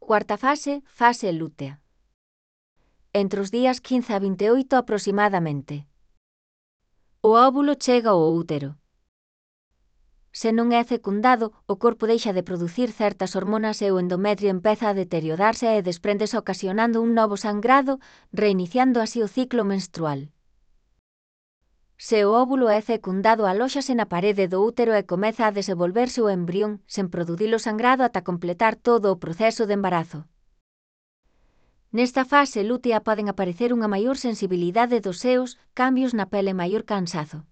Cuarta fase, fase lútea. Entre os días 15 a 28 aproximadamente. O óvulo chega ao útero. Se non é fecundado, o corpo deixa de producir certas hormonas e o endometrio empeza a deteriorarse e despréndese ocasionando un novo sangrado, reiniciando así o ciclo menstrual. Se o óvulo é fecundado, alóxase na parede do útero e comeza a desenvolverse o embrión, sen producir o sangrado ata completar todo o proceso de embarazo. Nesta fase lútea poden aparecer unha maior sensibilidade dos seos, cambios na pele e maior cansazo.